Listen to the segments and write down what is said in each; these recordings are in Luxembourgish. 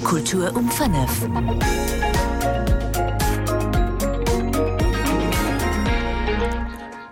Kultur um 5.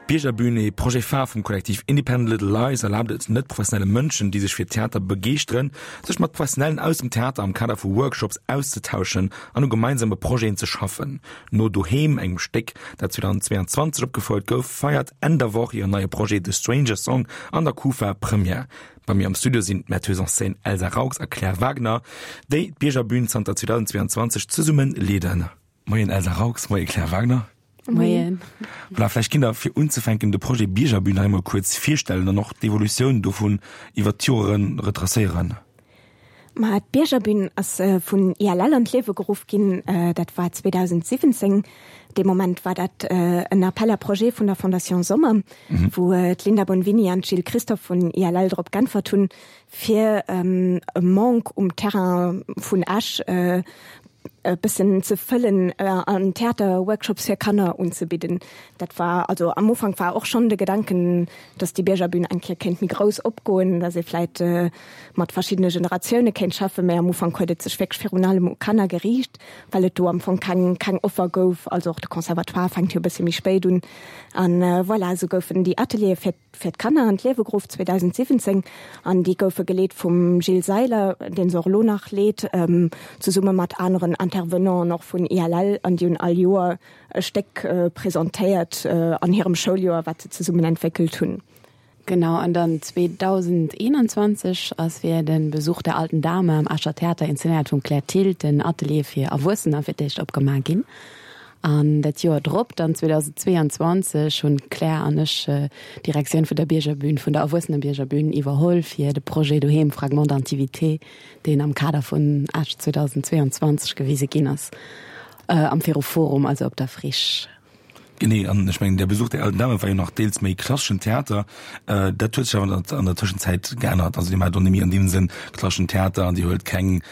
D'Biergerbühn, ee Projet phare vum Kollektiv Independent Little Lies, erlaabt et net-professionelle Mënschen, déi sech fir Theater begeeschteren, sech mat Professionellen aus dem Theater am Kader vu Workshops auszutauschen an u gemeinsame Projeten ze schaffen. No Doheem, engem Stéck, dat 2022 opgefouert gouf, feiert Enn der Woch hiren neie Projet The Stranger Song an der Kufa Première. Bei mir am Studio sinn d'Metteuse en scène Elsa Raux a Claire Wagner, déi d'Biergerbühn zanter 2022 zesumme leeden. Moien Elsa Raux, moie Claire Wagner. Moien. Voilà, vläicht kinnt Der fir unzefänken de Projet Biergerbühn nach eemol kuerz virstellen an och d'Evolutioun dovun iwwert d'Joere retracéieren. Ma d'Biergerbühn ass vun ILL an d'Liewe geruff ginn, dat war 2017. Dee Moment war dat en Appel à projets vun der Fondation Sommer, wou d'Linda Bonvini an d'Jill Christophe vun ILL drop g'äntwert hunn, fir e Manque um Terrain vun Esch e bëssen ze fëllen an Theaterworkshops fir Kanner unzebidden. Dat war also am Ufank war och schonn de Gedanken, dass déi Biergerbühn eng Kéier kéint méi grouss opgoen, dass ee vläit mat verschiddene Generatioune kéint schaffen, mä am Ufank huet et sech wierklech virun allem u Kanner geriicht, well et do am Fong keng keng Offer gouf. Also och de Conservatoire fänkt jo e bësse méi spéit un. An voilà, esou goufen déi Ateliere fir fir d'Kanner an d'Liewe geruff 2017 an déi goufe geleet vum Gilles Seiler, dee se och elo nach leet, zesumme mat aneren Intervenanten och vun ILL an déi hunn all Joer e Stéck presentéiert an hirem Schouljoer, wat se zesummen entwéckelt hunn. Genau, an dann 2021 ass fir den Besuch der alten Dame am Escher Theater, inszenéiert vum Claire Thill, den Atelier fir Erwuessener fir d'éischt opgemaach ginn. An dat Joer drop, dann 2022, hunn d'Claire an ech d'Direktioun vun der Biergerbühn, vun der Erwuessenebiergerbühn iwwerholl fir de Projet Doheem, Fragment d'intimité, deen am Kader vun Esch 2022 gewise ginn ass, am Ferroforum, also op der Friche. Genee, an ech mengen, der Besuch der alten Dame war jo nach deels méi klasseschen Theater. Dat huet sech awer an der Tëschenzäit geännert. Also Dir maacht och net méi an deem Sënn klasseschen Theater an Dir huelt keng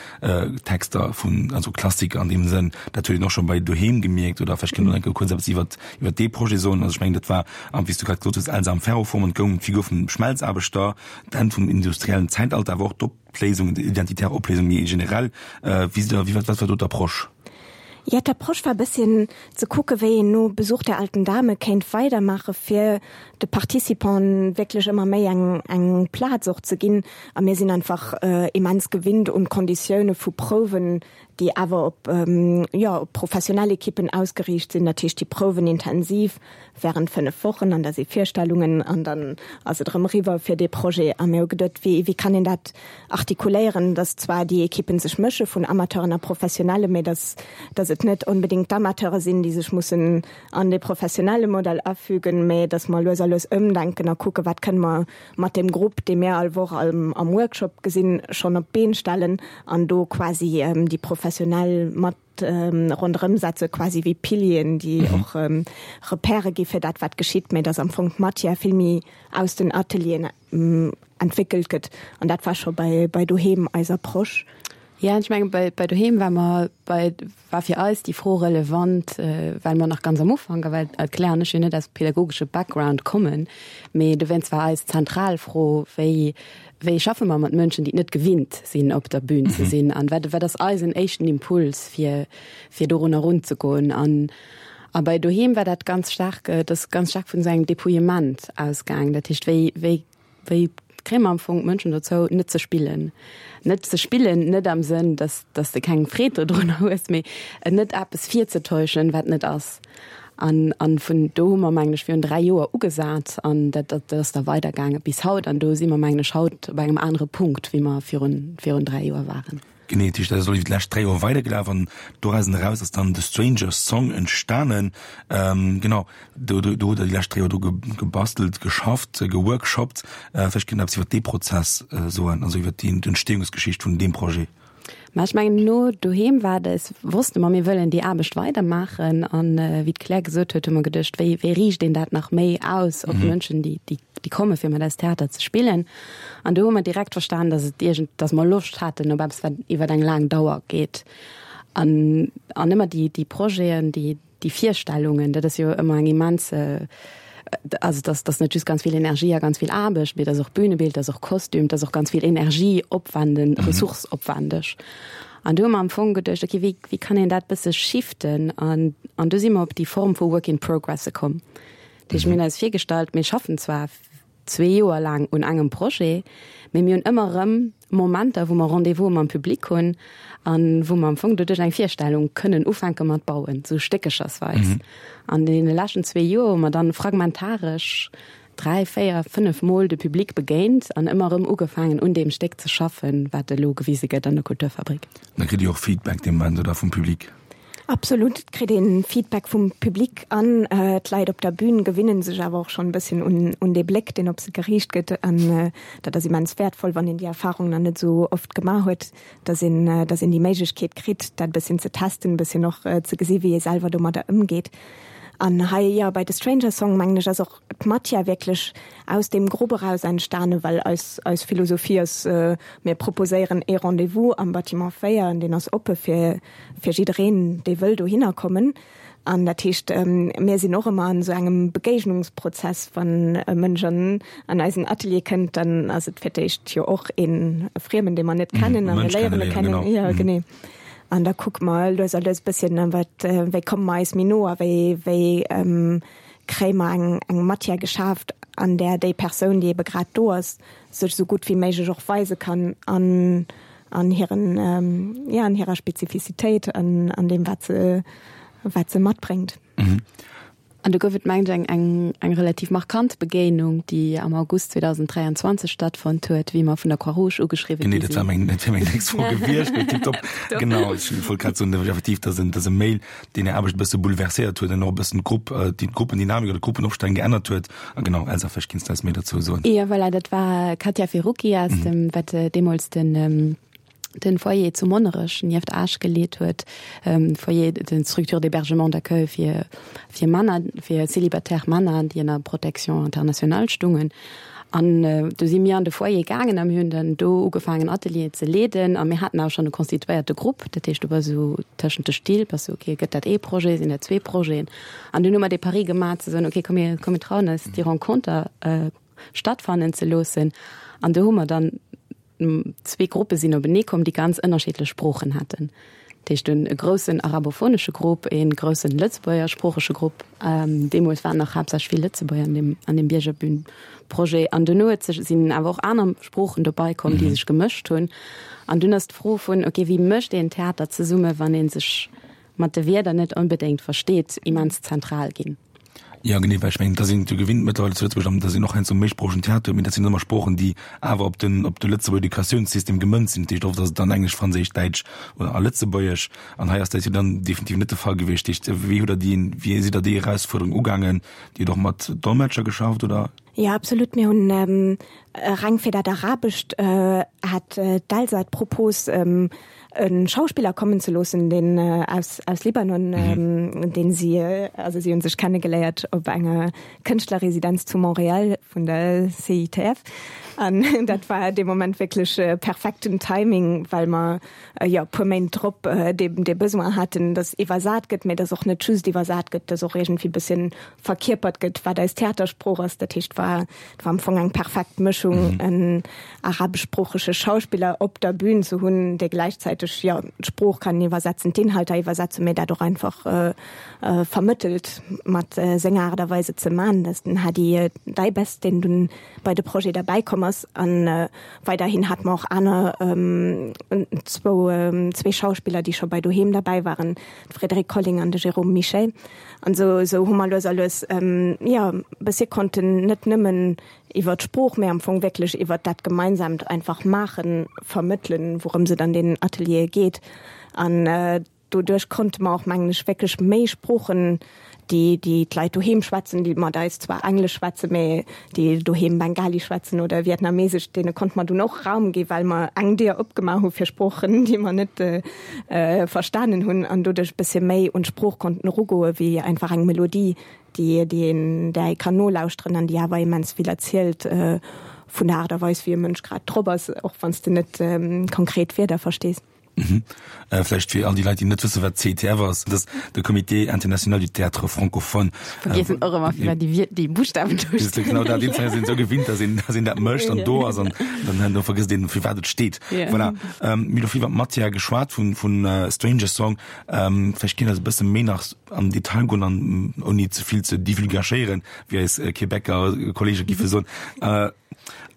Texter vun, also Klassiker an deem Sënn. Dat huet een och scho bei Doheem gemierkt. Oder vläicht kënnt Der nach eng Kéier kuerz eppes iwwert, iwwert dee Projet soen. Also ech mengen, dat war, wéi s du grad gesot hues, Elsa am Ferroform an et goung ëm d'Figur vum Schmelzaarbechter, d'Enn vum industriellen Zäitalter, awer och d'Opléisung, d'identitär Opléisung méi generell. Wéi sidd Der, wéi, wat war do d'Approche? Jo, d'Approche war e bësschen ze kucke wéi een no Besuch der alten Dame kéint weidermaache fir de Participanten wierklech ëmmer méi eng eng Plaz och ze ginn. A mir sinn einfach immens gewinnt un d'Konditioune vu Prouwen, déi awer op, jo, op professionell Ekippen ausgeriicht sinn. Dat heescht, déi prouwen intensiv während 5 Wochen an da si Virstellungen an dann ass et erëm eriwwer fir dee Projet. A mir hu geduet, wéi, wéi kann een dat artikuléieren, datt zwar déi Ekippen sech mësche vun Amateuren a Professionelle, mä datt, datt et net onbedéngt d'Amateure sinn, déi sech mussen an dee professionelle Modell afügen, mä datt mer lues a lues ëmdenken a kucken, wat kënne mer mat deem Grupp, dee mir all Woch am, am Workshop gesinn, schonn op d'Been stellen an do quasi déi Professionell mat ronderëm setze quasi wéi Pilieren, déi och Repèrë gi fir dat wat geschitt, mä datt am Fong d'Matière vill méi aus den Atelieren entwéckelt gëtt. An dat war scho bei bei Doheem eis Approche. Jo, ech menge bei bei Doheem war mer bei war fir eis déi Fro relevant, well mer nach ganz am Ufank a well d'Claire an ech jo net aus pädagogesche Background kommen, mee dowéinst war eis zentral Fro, wéi Wéi schaffe mer mat Mënschen, déi et net gewinnt sinn, op der Bühn ze sinn? An wat, wat ass eisen éischten Impuls, fir, fir dorun erunzegoen? An, a bei Doheem war dat ganz staark, et ass ganz staark vun esou engem Dépouillement ausgaang. Dat heescht, wéi, wéi, wéi kréie mer am Fong d'Mënschen dozou, net ze spillen? Net ze spillen, net am Sënn, dass, dass de keng Freed dodrunner hues, mee net eppes virzetäuschen, wat net ass. An, an vun do hu mer, mengen ech, virun 3 Joer ugesat an dat, dat ass da weidergaange bis haut. An do si mer, mengen ech, haut op engem anere Punkt, wéi mer virun, virun 3 Joer waren. Genee, dat heescht, dat ass elo iwwer déi lescht 3 Joer weidergelaf an dorausen eraus ass dann The Strangers Song entstanen. Genau, do, do, do hutt Der déi lescht 3 Joer dru gebastelt, geschafft, geworkshoppt. Vläicht kënnt Der eppes iwwer dee Prozess soen, also iwwer déi Entstehungsgeschicht vun deem Projet. Mä ech mengen, no doheem war et, wosste mer, mir wëllen déi Aarbecht weidermaachen. An wéi d'Claire gesot huet, hu mer geduecht, wéi, wéi riicht een dat nach méi aus op Mënschen, déi, déi, déi komme fir mat eis Theater ze spillen. An do hu mer direkt verstan, datt et iergend, datt mer Loscht haten op eppes, wat iwwer eng laang Dauer geet. An, an ëmmer déi, déi Projeten, déi, déi Virstellungen, dat ass jo ëmmer eng immens, also dass dass net just ganz vill Energie a ganz vill Aarbecht, mee dass och Bünebild, dass och Kostüm, dass och ganz vill Energie opwenden, ressourceopwendeg. An do hu mer am Fong geduecht, okay, wéi, wéi kann een dat bësse shiften? An, an do si mer op déi Form vu Work in Progress komm. Dat heescht, mir hunn eis virgestallt, mir schaffen zwar zwee Joer laang un engem Projet, mee mir hunn ëmmer erëm Momenter, wou mer Rendez-vouse mam Public hunn an wou mer am Fong doduerch eng Virstellung kënnen ufänke mat bauen, sou stéckechersweis. An deene leschten zwee Joer hu mer dann fragmentaresch dräi, véier, fënnef Mol de Public begéint an ëmmer erëm ugefaangen un deem Stéck ze schaffen, wat elo gewise gëtt an der Kulturfabrik. Da kritt Dir och Feedback dee Moment, oder, vum Public? Absolut, et kritt een Feedback vum Public an d'Leit op der Bühn gewinnen sech awer och schonn e bësschen un un dee Bléck, deen op se geriicht gëtt. An dat ass immens wäertvoll, wann een déi Erfahrung nach net esou oft gemaach huet, dass een dass een déi Méiglechkeet kritt, dat e bësschen ze testen, e bësschen och ze gesi wéi ee selwer domadder ëmgeet. An hei, jo, bei The Stranger Song, mengen ech, ass och d'Matière wierklech aus deem Grupp eraus entstane, well eis eis Philosophie ass, mir proposéieren ee Rendez-vous am Bâtiment 4 an deen ass oppe fir fir jiddereen, dee wëll dohinner kommen. An dat heescht, mir sinn och ëmmer an esou engem Begéignungsprozess. Wann e Mënsch an an eisen Atelier kënnt, dann ass et fir d'éischt jo och ee Friemen, dee mer net kennen a mir léieren e kennen. Jo, genee. An da kucke mer lues a lues e bësschen, wat, wéi komme mer eis méi no a wéi, wéi kréie mer eng eng Matière geschaaft, an där déi Persoun, déi ebe grad do ass, sech esou gutt wéi méiglech och weise kann an an hiren, ja, an hirer Spezifizitéit an an deem, wat se, wat se matbréngt. An do gouf et, mengt ech, eng, eng, eng relativ markant Begéinung, déi am August 2023 stattfonnt huet, wéi mer vun der Croix-Rouge ugeschriwwen gi sinn. Genee, dat war meng, dat wär meng nächst Fro gewiescht, mee tiptop. Genau, ech wollt grad soen, effektiv, dass en, dass e Mail, deen Är Aarbecht e bësse bouleverséiert huet an och e bëssen d'Grupp, déi d'Gruppendynamik oder d'Gruppenopstellung geännert huet. A genau, Elsa, vläicht kinns du eis méi dozou soen. Jo, voilà, dat war Katia Ferrucchi aus dem, wat deemools den, den Foyer zu Monnerech nieft Esch geleet huet, Foyer, den Structure d'hébergement d'accueil fir, fir Männer, fir célibataire Männer, déi ënner Protection internationale stungen. An do si mir an de Foyer gaangen a mir hunn dann do ugefaangen Atelieren ze leeden a mir haten awer schonn e constituéierte Grupp, dat heescht do war esou tëschent de Still, bass du ok, gëtt dat ee Projet, sinn dat zwee Projeten? An dunn hu mer dee Pari gemaach ze soen, ok, komm mir, komm mir trauen eis déi Renconter stattfannen ze loossen. An do hu mer dann zwee Gruppe sinn openee komm, déi ganz ënnerschiddlech Sproochen haten. Dat heescht dunn e groussen arabophonesche Grupp, e groussen lëtzebuergersproochege Grupp. Deemools waren nach haaptsächlech vill Lëtzebuerger an deem, an deem Biergerbühn-Projet. An duerno huet sech, sinn awer och aner Sproochen dobei komm, déi sech gemëscht hunn. An dunn ass d'Fro vun, ok, wéi mécht een Theater zesumme, wann ee sech mat de Wierder net onbedéngt versteet, immens zentral ginn. Jo, genee, well ech mengen, da sinn jo gewinnt mëttlerweile zu Lëtzebuerg, an da sinn och heiansdo méisproochegen Theater, mee dat sinn ëmmer Sproochen, déi awer op den, op de Lëtzebuerger Educatiounssystem gemënzt sinn. Dat heescht, oft ass et dann Englesch, Franséisch, Däitsch oder a Lëtzebuergesch. An hei ass dat jo dann definitiv net de Fall gewiescht. Dat heescht, wéi hutt Der déi, wéi sidd Der déi Erausfuerderung ugaangen? Dir hutt och mat Dolmetscher geschafft, oder? Jo, absolut. Mir hunn reng fir dat Arabescht hat d'Elsa d'Propos, e Schauspiller kommen ze loossen, deen aus aus Libanon, deen si, also si hunn sech kennegeléiert op enger Kënschtlerresidenz zu Montréal vun der CITF. An dat war dee Moment wierklech perfekten Timing, well mer jo e puer Méint drop dee dee Besoin haten, datt iwwersat gëtt, mä datt och net just iwwersat gëtt, datt och iergendwéi bësschen verkierpert gëtt, wat eis Theatersprooch ass. Dat heescht, war et war am Fong eng perfekt Mëschung, en arabeschsproochege Schauspiller op der Bühn ze hunn, dee gläichzäiteg, jo, d'Sprooch kann iwwersetzen, d'Inhalter iwwersetzen, mee dat och einfach vermëttelt mat senger Aart a Weis et ze man. Dat ass den Hadi Daibes, deen dunn bei de Projet derbäi komm ass. A weiderhin hate mer och aner zwou, zwee Schauspiller, déi scho bei Doheem derbäi waren, d'Frédérique Colling an de Jérôme Michel. An esou, esou hu mer lues a lues, jo, e bëssi konnten net nëmmen iwwer d'Sprooch, mä am Fong wierklech iwwer dat gemeinsaamt einfach Maachen vermëttelen, wourëms et an deenen Ateliere geet. An doduerch konnte mer och, mengen ech, wierklech méi Sproochen, déi, déi d'Leit doheem schwätzen, déi mat eis zwar Englesch schwätzen, mä déi doheem Bengali schwätzen oder Vietnamesesch, deene konnte mer dunn och Raum gi well mer eng Dier opgemaach hu fir Sproochen, déi mer net verstanen hunn an doduerch e bëssche méi un d'Sprooch konnten erugoe wéi einfach eng Melodie, déi déi een där ee kann nolauschteren an déi awer immens vill erzielt vun der Aart a Weis, wéi e Mënsch grad drop ass, och wann s de net konkret Wierder verstees. Mhm. Äh, vläicht fir all déi Leit, déi net wësse wat CITF ass, dat ass de Comité International du Théâtre Francophone. Vergiessen och ëmmer fir wat déi, déi Buschtawen do stinn. Genau dat, deem sinn esou gewinnt, dass een, dass een dat mécht an do ass an dann do vergësst een, fir wat et steet. Yeah. Voilà. Ähm, mir hu vill iwwer d'Matière geschwat vun, vun äh, Stranger Song. Ähm, vläicht kinnt Der e bësse méi nach an Detail goen an ouni ze vill ze divulgachéieren, wéi eis Québecer Kollege giffe soen. Äh,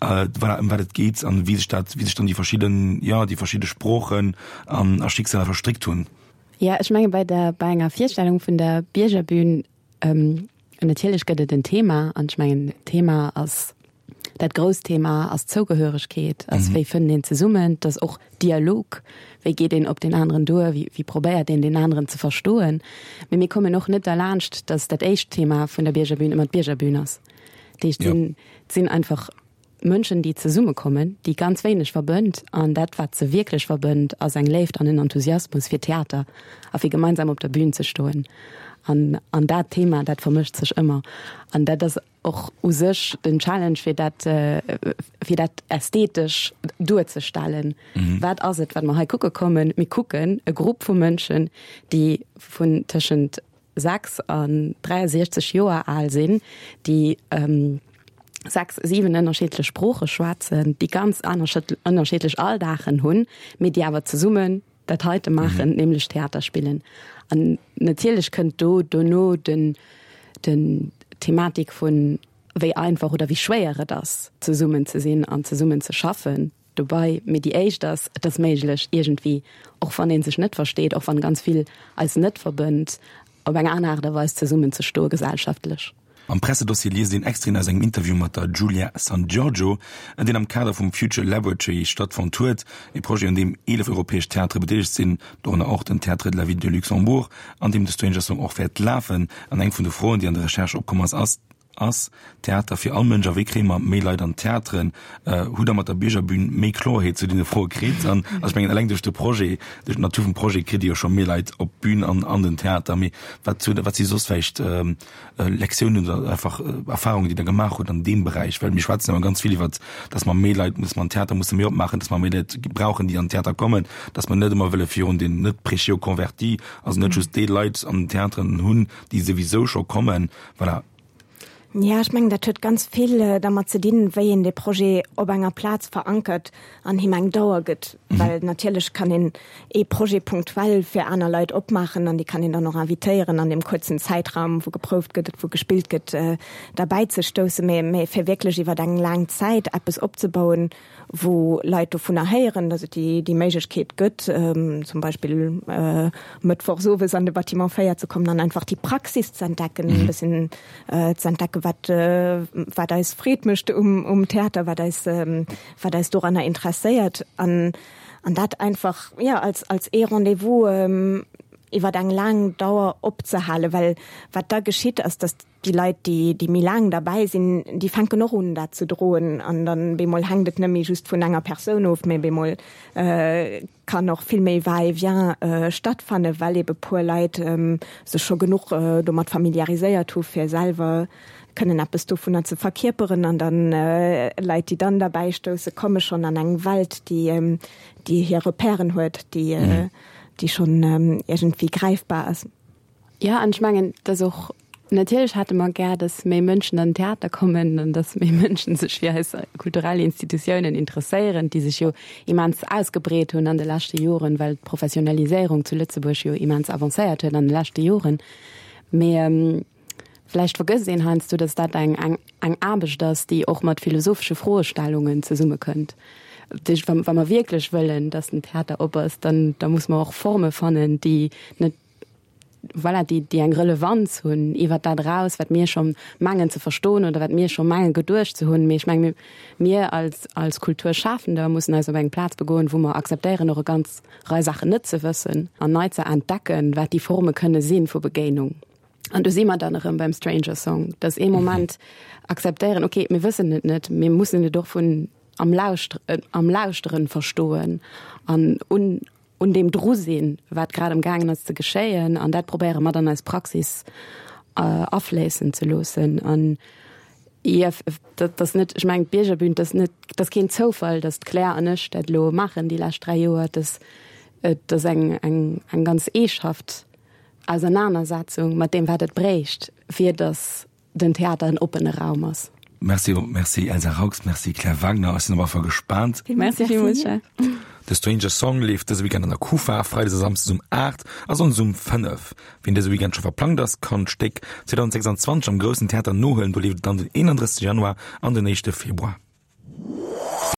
äh, voilà, ëm wat et geet an wéi sech dat, wéi sech dann déi verschidden, ja, déi verschidde Sproochen an a Schicksaler verstréckt hunn. Ja, ech menge bei der, bei enger Virstellung vun der Biergerbühn, ähm, natierlech gëtt et en Thema an ech mengen d'Thema ass, dat grousst Thema ass Zougehöregkeet, ass wéi fënnt een zesummen, et ass och Dialog, wéi geet een op deen aneren duer, wéi, wéi probéiert een deen aneren ze verstoen. Mee mir kommen och net derlaanscht, datt dat éischt Thema vun der Biergerbühn ëmmer d'Biergerbühn ass. Dat heescht, ja. sinn einfach Mënschen, déi zesummekommen, déi ganz wéineg verbënnt. An dat, wat se wierklech verbënnt, ass eng Léift an en Enthusiasmus fir Theater a fir gemeinsam op der Bühn ze stoen. An, an dat Thema, dat vermëscht sech ëmmer. An dat ass och u sech den Challenge, fir dat, fir dat ästhetesch duerzestellen. Mhm. Wat ass et, wat mer hei kucke kommen? Mir kucken e Grupp vu Mënschen, déi vun tëschent 6 an 63 Joer al sinn, déi 6, 7 ënnerschiddlech Sprooche schwätzen, déi ganz ënnerschiddlech Alldagen hunn, mee déi awer zesummen dat heite maachen, nämlech Theater spillen. An natierlech kënnt do dono den, den d'Thematik vun wéi einfach oder wéi schwéier et ass, zesummen ze sinn an zesummen ze schaffen. Dobei, mee déi éischt ass, et ass méiglech iergendwéi, och wann ee sech net versteet, och wann ganz vill eis net verbënnt, op eng aner Aart a Weis zesummen ze stoe gesellschaftlech. Am Pressedossier liest een Extraiten aus engem Interview mat der Giulia Sangiorgio, deen am Kader vum Future Laboratory stattfonnt huet, e Projet un deem 11 europäesch Theatere bedeelegt sinn, dorënner och den Théâtre de la Ville de Luxembourg, an deem de Stranger Song och wäert lafen. An eng vun de Froen, déi an der Recherche opkomm ass, ass, Ass Theater fir all Mënsch a wéi kréie mer méi Leit an d'Theateren? Hutt Der mat der Biergerbün méi Kloerheet zu deene Froe kritt? An also ech mengen eleng duerch de Projet, duerch d'Natur vum Projet kritt Dir jo scho méi Leit op d'Bün an an den Theater. Mee wat hutt, wat si soss vläicht Lektiounen oder einfach Erfahrungen, déi Der gemaach hutt an deem Beräich? Well mir schwätzen ëmmer ganz vill iwwert, datt mer méi Leit musse, mer an d'Theater musse méi opmaachen, datt mer méi Leit brauchen, déi an den Theater kommen, datt mer net ëmmer wëlle virun den net prêchés aux convertis, also net just déi Leit an den Theateren hunn, déi souwisou scho kommen. Voilà. Ja, ech mengen, dat huet ganz vill dermat ze dinn, wéi een dee Projet op enger Plaz verankert an him eng Dauer gëtt. Well natierlech kann een ee Projet punktuell fir aner Leit opmaachen an déi kann een dann och invitéieren, an deem kuerzen Zäitraum, wou geprouft gëtt, wou gespillt gëtt, derbäi ze stoussen. Mä fir wierklech iwwer eng laang Zäit eppes opzebauen, wou Leit dovunner héieren, datt et déi Méiglechkeet gëtt, zum Beispill mëttwochs owes an de Bâtiment 4 ze kommen an einfach déi Praxis ze entdecken, e bëssen ze entdecken, wat, wat eis Freed mécht um, um Theater, wat eis, wat eis doranner interesséiert an, an dat einfach, jo, als, als ee Rendez-vous iwwer eng laang Dauer opzehalen, well wat da geschitt ass, datt Déi Leit, déi, déi méi laang derbäi sinn, déi fänken och un, dat ze droen. An dann bemol hänkt et net méi just vun enger Persoun of, mä bemol kann och vill méi Va-et-vient stattfannen, well ebe puer Leit sech scho genuch domat familiariséiert hu fir selwer kënnen eppes dovunner ze verkierperen. An dann Leit, déi dann derbäi stousse, komme schonn an eng Welt, déi, déi hir Repèren huet, déi, déi schonn iergendwéi gräifbar ass. Jo, an ech mengen, dass och, natierlech hätte mer gär, dass méi Mënschen an den Theater kommen an dass méi Mënschen sech fir eis kulturell Institutiounen interesséieren, déi sech jo immens ausgebreet hunn an de leschte Joren, well d'Professionaliséierung zu Lëtzebuerg jo immens avancéiert huet an de leschte Joren. Mee vläicht vergësst een heiansdo, dass dat eng, eng, eng Aarbecht ass, déi och mat philosophesche Froestellungen zesummekënnt. Dat heescht, wa, wa mer wierklech wëllen, dass den Theater op ass, dann, da muss mer och Forme fannen, déi net, voilà, déi, déi eng Relevanz hunn iwwer dat eraus, wat mir scho mengen ze verstoen oder wat mir scho menge geduecht ze hunn. Mee ech menge mir, mir als, als Kulturschafender mussen eis op eng Plaz begoen, wou mer akzeptéieren, och e ganz Rei Saachen net ze wëssen an nei ze entdecken, wat déi Forme kënne si vu Begéinung. An do si mer dann erëm beim Stranger Song, dass ee Moment akzeptéieren, okay, mir wëssen et net, mir mussen et och vun am Lauscht, am Lauschteren verstoen an un, un deem dru sinn, wat grad am gaangen ass ze geschéien, an dat probéiere mat an eis Praxis afléissen ze loossen. An IF, dat ass net, ech mengen d'Biergerbün, dat ass net, dat ass keen Zoufall, datt d'Claire an ech dat elo maachen déi lescht 3 Joer. Dat. Et ass eng, eng, eng ganz eeschaft Ausernanersetzung mat deem, wat et bréicht, fir datt den Theater en oppene Raum ass. Merci, merci Elsa Raux, merci Claire Wagner. Ech sinn op alle Fall gespaant. Merci villmools, Jeff. The Stranger Song leeft dëse Weekend an der Kufa, freides a samsdes um 8 a sonndes um 5. Wien dëse Weekend scho verplangt ass, kann d'Stéck 2026 am Groussen Theater nohuelen. Do leeft et dann den 31 Januar an den éischte Februar.